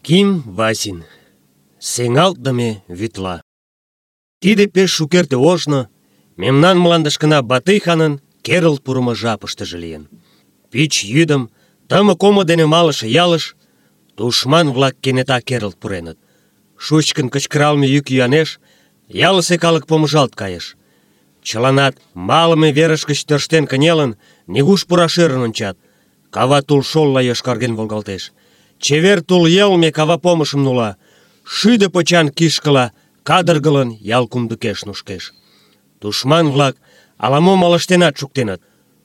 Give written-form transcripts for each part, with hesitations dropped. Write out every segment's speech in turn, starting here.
Ким Васин. Сеҥалтдыме вӱдла. Тиде пеш шукерте ожно мемнан мландышкына Батый ханын керылт пурымо жапыштыже лийын. Пич йӱдым тымык омо дене малыше ялыш тушман-влак кенета керылт пуреныт. Шучкын кычкыралме йӱк-йӱанеш ялысе калык помыжалт кайыш. Чыланат малыме верыш гыч тӧрштен кынелын, нигуш пураш ӧрын ончат. Кава тул шолла йошкарген волгалтеш. Чевер тул йылме кава помышым нула. Шӱдӧ почан кишкыла кадыргылын ял кумдыкеш нушкеш. Тушман-влак ала-мом ылыжтенат шуктеныт.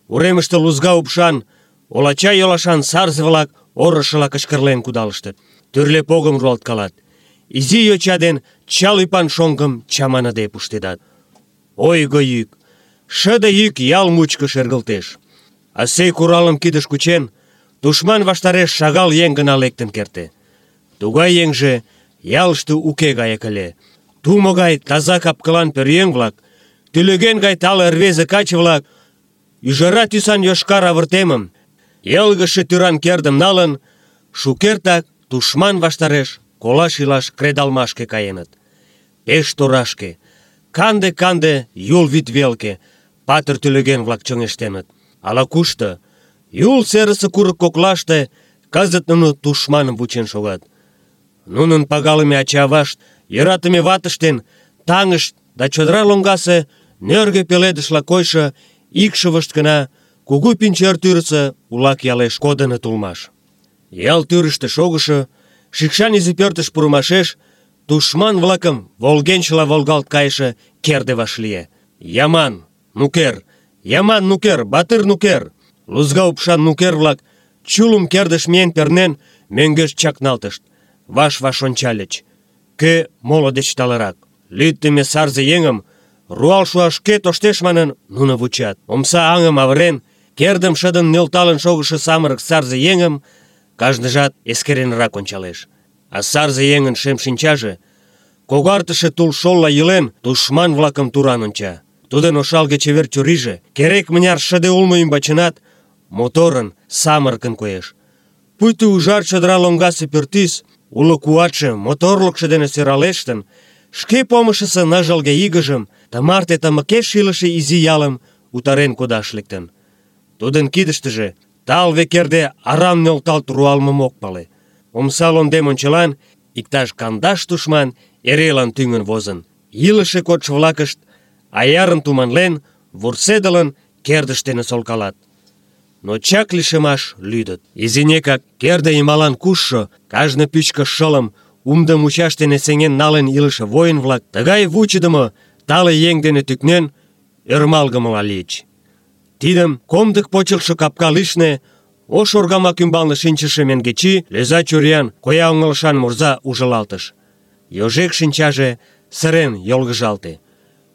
Уремыште лузга упшан, олача йолашан сарзе-влак орышыла кычкырлен кудалыштыт. Тӱрлӧ погым руалткалат. Изи йоча ден чал ӱпан шоҥгым чаманыде пуштедат. Ойго йӱк, шыде йӱк ял мучко шергылтеш. Асей куралым кидыш кучен, тушман ваштареш шагал еҥ гына лектын керте. Тугай еҥже ялыште уке гаяк ыле. Тумо гай таза капкылан пӧръеҥ-влак, тӱлӧгӧн гай тале рвезе каче-влак, ӱжара тӱсан йошкар авыртемым, йылгыжше тӱран кердым налын, шукертак тушман ваштареш колаш-илаш кредалмашке каеныт. Пеш торашке, канде-канде Юл вӱд велке патыр тӱлӧгӧн-влак чоҥештеныт. Ала-кушто, Юл серысе курык коклаште кызыт нуно тушманым вучен шогат. Нунын пагалыме ача-авашт, йӧратыме ватышт ден таҥышт да чодыра лоҥгасе нӧргӧ пеледышла койшо икшывышт гына кугу Пинчер тӱрысӧ Улак ялеш кодыныт улмаш. Ял тӱрыштӧ шогышо шикшан изи пӧртыш пурымашеш тушман-влакым волгенчыла волгалт кайыше керде вашлие. Яман, нукер! Яман нукер, батыр нукер! Лузга упшан нукер-влак чулым кердыш миен пернен мӧҥгеш чакналтышт. Ваш-ваш ончальыч. Кӧ моло деч талырак? Лӱддымӧ сарзе еҥым руал шуаш кӧ тоштеш манын, нуно вучат. Омса аҥым авырен, кердым шыдын нӧлталын шогышо самырык сарзе еҥым кажныжат эскеренрак ончалеш. А сарзе еҥын шем шинчаже, когартыше тул шолла йӱлен, тушман-влакым туран онча. Тудын ошалге-чевер чурийже керек-мыняр шыде улмо ӱмбачынат моторын, самырыкын коеш. Пуйто ужар чодыра лоҥгасе пӱртӱс уло куатше, моторлыкшо дене сӧралештын, шке помышысо ныжылге игыжым, тымарте тымыкеш илыше изи ялым утарен кодаш лектын. Тудын кидыштыже талве керде арам нӧлталт руалмым ок пале. Омса лондем ончылан иктаж 50 тушман эрелан тӱҥын возын. Илыше кодшо-влакышт, аярын туманлен, вурседылын, кердыш дене солкалат. Но чак лишемаш лӱдыт. Изинекак керде йымалан кушшо, кажне пӱчкыш шылым умдо мучаш дене сеҥен налын илыше воин-влак тыгай вучыдымо тале еҥ дене тӱкнен ӧрмалгымыла лийыч. Тидым комдык почылтшо капка лишне ош оргамак ӱмбалне шинчыше Менгечи лӧза чуриян, коя оҥылышан мурза ужылалтыш. Йожек шинчаже сырен йолгыжалте.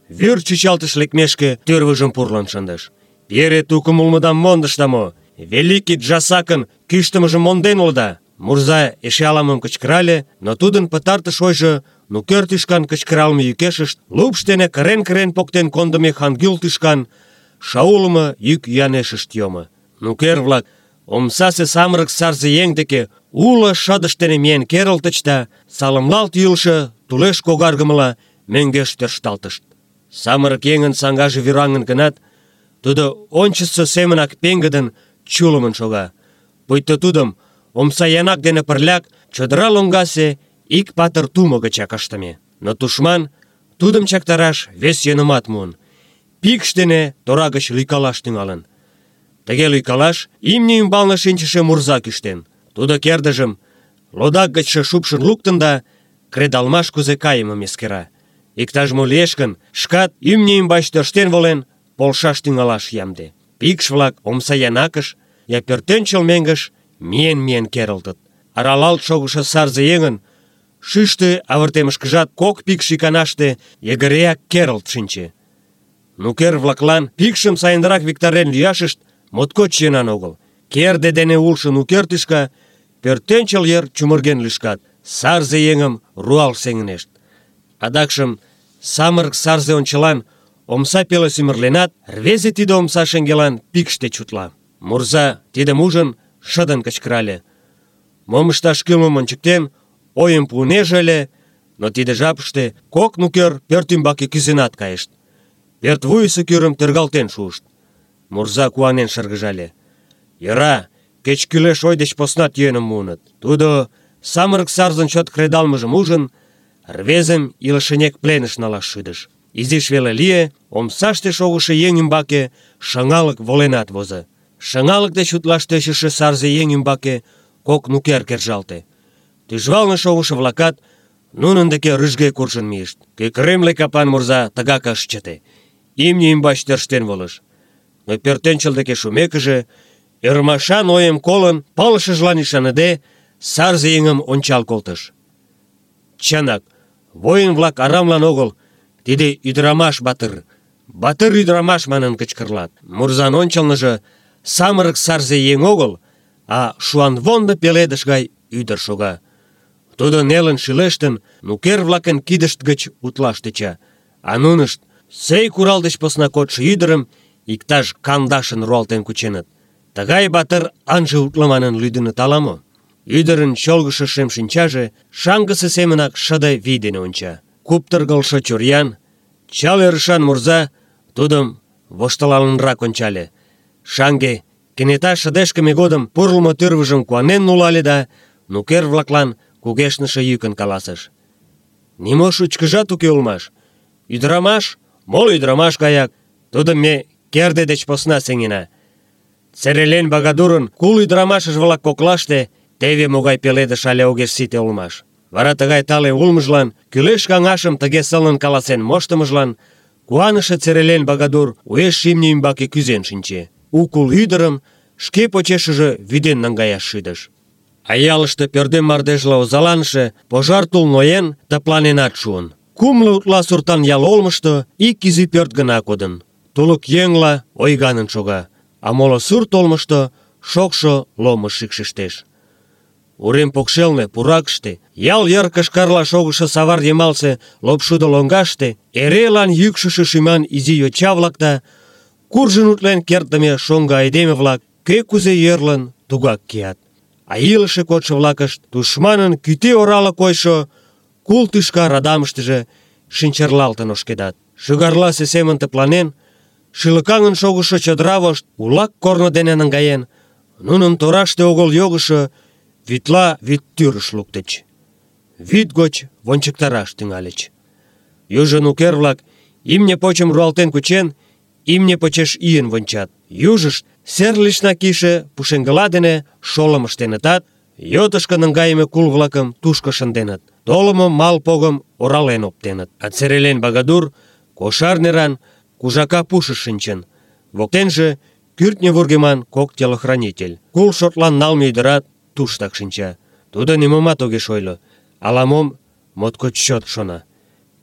Вӱр чӱчалтыш лекмешке тӱрвыжым пурлын шындыш. «Пире тукым улмыдам мондышда мо? Великий Джасакын кӱштымыжым монден улыда!» Мурза эше ала-мом кычкырале, но тудын пытартыш ойжо нукер тӱшкан кычкыралме йӱкешышт лупш дене кырен-кырен поктен кондымо Хангюл тӱшкан шаулымо йӱк-йӱанешышт йомо. Нукер-влак омсасе самырык сарзе еҥ деке уло шыдышт дене миен керылтыч да салымлалт йӱлшӧ тулеш когаргымыла мӧҥгеш тӧршталтышт. Самырык еҥын саҥгаже вӱраҥын гынат, тудо ончычсо семынак пеҥгыдын, чулымын шога. Пуйто тудым омса янак дене пырляк чодыра лоҥгасе ик патыр тумо гычак ыштыме. Но тушман тудым чактараш вес йӧнымат муын. Пикш дене тора гыч лӱйкалаш тӱҥалын. Тыге лӱйкалаш имне ӱмбалне шинчыше мурза кӱштен. Тудо кердыжым лодак гычше шупшын луктын да кредалмаш кузе кайымым эскера. Иктаж-мо лиеш гын, шкат имне ӱмбач тӧрштен волен, полшаш тӱҥалаш ямде. Пикш-влак омса янакыш я пӧртӧнчыл меҥгыш миен-миен керылтыт. Аралалт шогышо сарзе еҥын шӱштӧ авыртемышкыжат кок пикш иканаште йыгыреак керылт шинче. Нукер-влаклан пикшым сайынрак виктарен лӱяшышт моткоч йӧнан огыл. Керде дене улшо нукер тӱшка пӧртӧнчыл йыр чумырген лӱшкат, сарзе еҥым руал сеҥынешт. Адакшым самырык сарзе ончылан омса пеле сӱмырленат, рвезе тиде омса шеҥгелан пикш деч утла. Мурза, тидым ужын, шыдын кычкырале. Мом ышташ кӱлмым ончыктен, ойым пуынеже ыле, но тиде жапыште кок нукер пӧрт ӱмбаке кӱзенат кайышт. Пӧртвуйысо кӱрым тӧргалтен шуышт. Мурза куанен шыргыжале. Йӧра, кеч кӱлеш ой деч поснат йӧным муыныт. Тудо, самырык сарзын чот кредалмыжым ужын, рвезым илышынек пленыш налаш шӱдыш. Изиш веле лие, омсаште шогышо еҥ ӱмбаке шыҥалык воленат возо. Шыҥалык деч утлаш тӧчышӧ сарзе еҥ ӱмбаке кок нукер кержалте. Тӱжвалне шогышо-влакат нунын деке рӱжге куржын мийышт. Кӧкыремле капан мурза тыгак ыш чыте. Имне ӱмбач тӧрштен волыш. Но пӧртӧнчыл деке шумекыже, ӧрмашан ойым колын, пылышыжлан ӱшаныде, сарзе еҥым ончал колтыш. Чынак, воин-влак арамлан огыл, тиде ӱдырамаш батыр. Батыр ӱдырамаш манын кычкырлат. Мурзан ончылныжо самырык сарзе еҥ огыл, а шуанвондо пеледыш гай ӱдыр шога. Тудо нелын шӱлештын, нукер-влакын кидышт гыч утлаш тӧча, а нунышт сӧй курал деч посна кодшо ӱдырым иктаж 50-ын руалтен кученыт. Тыгай батыр ынже утло манын лӱдыныт ала-мо? Ӱдырын чолгышо шем шинчаже шаҥгысе семынак шыде вий дене онча. Куптыргылшо чуриян, чал ӧрышан мурза тудым воштылалынрак ончале. Шаҥге кенета шыдешкыме годым пурлмо тӱрвыжым куанен нулале да нукер-влаклан кугешныше йӱкын каласыш: «Нимо шучкыжат уке улмаш. Ӱдырамаш, моло ӱдырамаш гаяк, тудым ме керде деч посна сеҥена. Церелен Багадурын кул ӱдырамашыж-влак коклаште теве могай пеледыш але огеш сите улмаш». Вара тыгай тале улмыжлан, кӱлеш каҥашым тыге сылнын каласен моштымыжлан куаныше Церелен Багадур уэш имне ӱмбаке кӱзен шинче. У кул ӱдырым шке почешыже вӱден наҥгаяш шӱдыш. А ялыште пӧрдем мардежла озаланыше пожар тул ноен, тыпланенат шуын. 6 утла суртан ял олмышто ик изи пӧрт гына кодын. Тулык еҥла ойганын шога, а моло сурт олмышто шокшо ломыж шикшештеш. Урем покшелне, пуракыште, ял йыр кышкарла шогышо савар йымалсе лопшудо лоҥгаште эрелан йӱкшышӧ шӱман изи йоча-влак да куржын утлен кертдыме шоҥго айдеме-влак кӧ кузе йӧрлын, тугак кият. А илыше кодшо-влакышт тушманын кӱтӱ орала койшо кул тӱшка радамыштыже шинчырлалтын ошкедат. Шӱгарласе семын тыпланен, шӱлыкаҥын шогышо чодыра вошт улак корно дене наҥгаен, нуным тораште огыл йогышо вӱдла вӱд тӱрыш луктыч. Вӱд гоч вончыктараш тӱҥальыч. Южо нукер-влак, имне почым руалтен кучен, имне почеш ийын вончат. Южышт сер лишна кийыше пушеҥгыла дене шолым ыштенытат, йотышко наҥгайыме кул-влакым тушко шынденыт. Толымо мал погым орален оптеныт. А Церелен Багадур кошар неран кужака пушыш шинчын. Воктенже кӱртньӧ вургеман кок телохранитель. Кул шотлан налме ӱдырат туштак шинча. Тудо нимомат огеш ойло, ала-мом моткоч чот шона.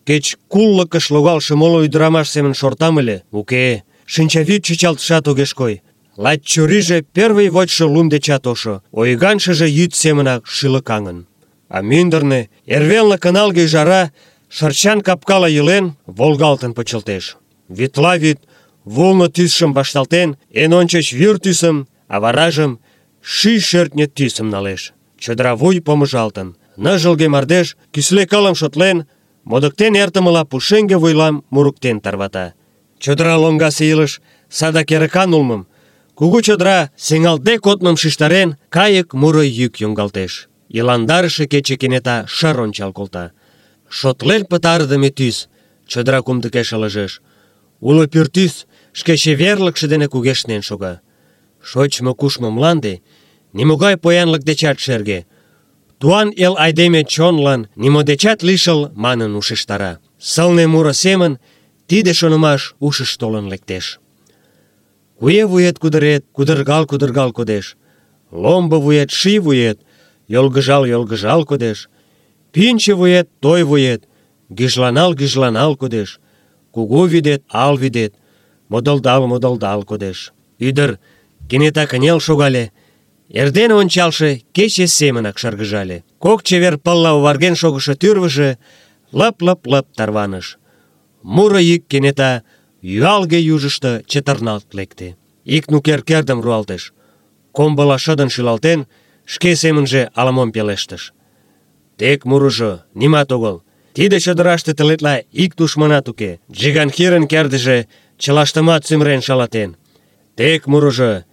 Кеч куллыкыш логалше моло ӱдырамаш семын шортам ыле, уке, шинчавӱд чӱчалтышат огеш кой. Лач чурийже первый вочшо лум дечат ошо, ойганшыже йӱд семынак шӱлыкаҥын. А мӱндырнӧ эрвелне кыналге ӱжара шырчан капкала йӱлен, волгалтын почылтеш. Вӱдла вӱд вулно тӱсшым вашталтен, эн ончыч вӱр тӱсым, а варажым ший шӧртньӧ тӱсым налеш. Чодыра вуй помыжалтын. Ныжылге мардеж, кӱсле кылым шотлен, модыктен эртымыла пушеҥге вуйлам мурыктен тарвата. Чодыра лоҥгасе илыш садак эрыкан улмым, кугу чодыра сеҥалтде кодмым шижтарен, кайык муро йӱк йоҥгалтеш. Иландарыше кече кенета шыр ончал колта. Шотлен пытарыдыме тӱс чодыра кумдыкеш ылыжеш. Уло пӱртӱс шке чеверлыкше дене кугешнен шога. Шочмо-кушмо мланде нимогай поянлык дечат шерге. Туан эл айдеме чонлан нимо дечат лишыл манын ушештара. Сылне муро семын тиде шонымаш ушыш толын лектеш. Куэ вует кудырет, кудыргал кодеш. Ломбо вует, ший вует, йолгыжал кодеш. Пӱнчӧ вует, той вует, гӱжланал кодеш. Кугу вӱдет, ал вӱдет, модылдал кодеш. Ӱдыр кенета кынел шогале, эрдене ончалше кече семынак шыргыжале. Кок чевер пылла оварген шогышо тӱрвыжӧ лып-лып тарваныш. Муро йӱк кенета юалге южышто чытырналт лекте. Ик нукер кердым руалтыш. Комбыла шыдын шӱлалтен, шке семынже ала-мом пелештыш. Тек мурыжо, нимат огыл. Тиде чодыраште тылетла ик тушманат уке. Джиганхирын кердыже чылаштымат сӱмырен шалатен. Тек мурыжо,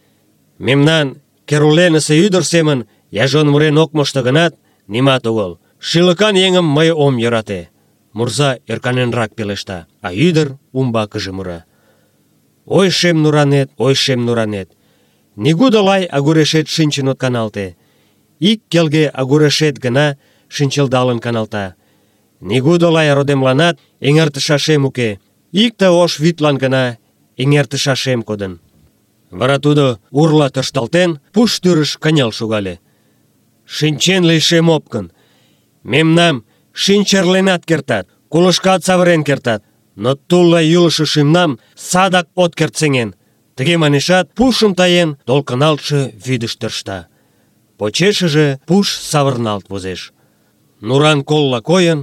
мемнан Керуленысе ӱдыр семын яжон мурен ок мошто гынат, нимат огыл. Шӱлыкан еҥым мый ом йӧрате. Мурза ӧрканенрак пелешта, а ӱдыр умбакыже мура. Ой, шем нуранет, ой, шем нуранет. Нигудо лай агурешет шинчын от каналте. Ик келге агурешет гына шинчылдалын каналта. Нигудо лай родемланат эҥертышашем уке. Икте ош вӱдлан гына эҥертышашем кодын. Вара тудо, урла тӧршталтен, пуш тӱрыш кынел шогале. Шинчен лийшем опкын. Мемнам шинчырленат кертат, кулышкат савырен кертат, но тулла йӱлышӧ шӱмнам садак от керт сеҥен. Тыге манешат, пушым таен, толкыналтше вӱдыш тӧршта. Почешыже пуш савырналт возеш. Нуран колла койын,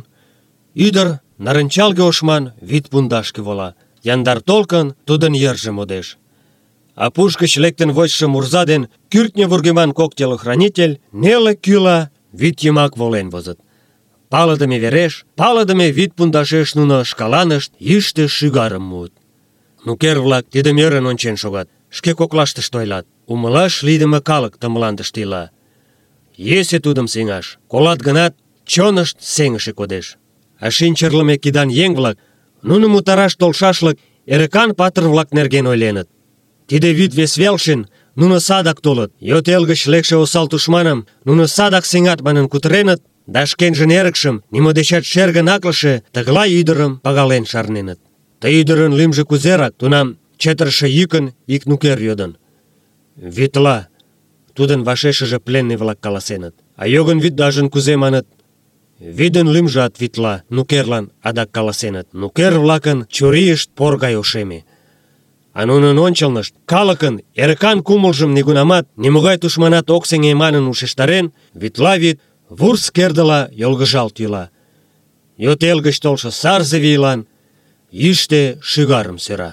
ӱдыр нарынчалге ошман вӱд пундашке вола. Яндар толкын тудын йырже модеш. А пуш гыч лектын вочшо мурза ден кӱртньӧ вургеман кок телохранитель неле кӱла вӱд йымак волен возыт. Палыдыме вереш, палыдыме вӱд пундашеш нуно шкаланышт йӱштӧ шӱгарым муыт. Нукер-влак тидым ӧрын ончен шогат, шке коклаштышт ойлат. Умылаш лийдыме калык ты мландыште ила. Йӧсӧ тудым сеҥаш, колат гынат, чонышт сеҥыше кодеш. А шинчырлыме кидан еҥ-влак нуным утараш толшашлык эрыкан патыр-влак нерген ойленыт. Тиде вӱд вес велчын нуно садак толыт, йот эл гыч лекше осал тушманым нуно садак сеҥат манын кутыреныт, да шкенжын эрыкшым, нимо дечат шергын аклыше тыглай ӱдырым пагален шарненыт. Ты ӱдырын лӱмжӧ кузерак? Тунам чытырыше йӱкын ик нукер йодын. Вӱдла, тудын вашешыже пленный-влак каласеныт. А йогын вӱддажын кузе маныт? Вӱдын лӱмжат Вӱдла, нукерлан адак каласеныт. Нукер-влакын чурийышт пор гай ошеме. А нунын ончылнышт калыкын эрыкан кумылжым нигунамат нимогай тушманат ок сеҥе манын ушештарен, Вӱдла вӱд вурс кердыла йолгыжалт йӱла. Йот эл гыч толшо сарзе вийлан йӱштӧ шӱгарым сӧра.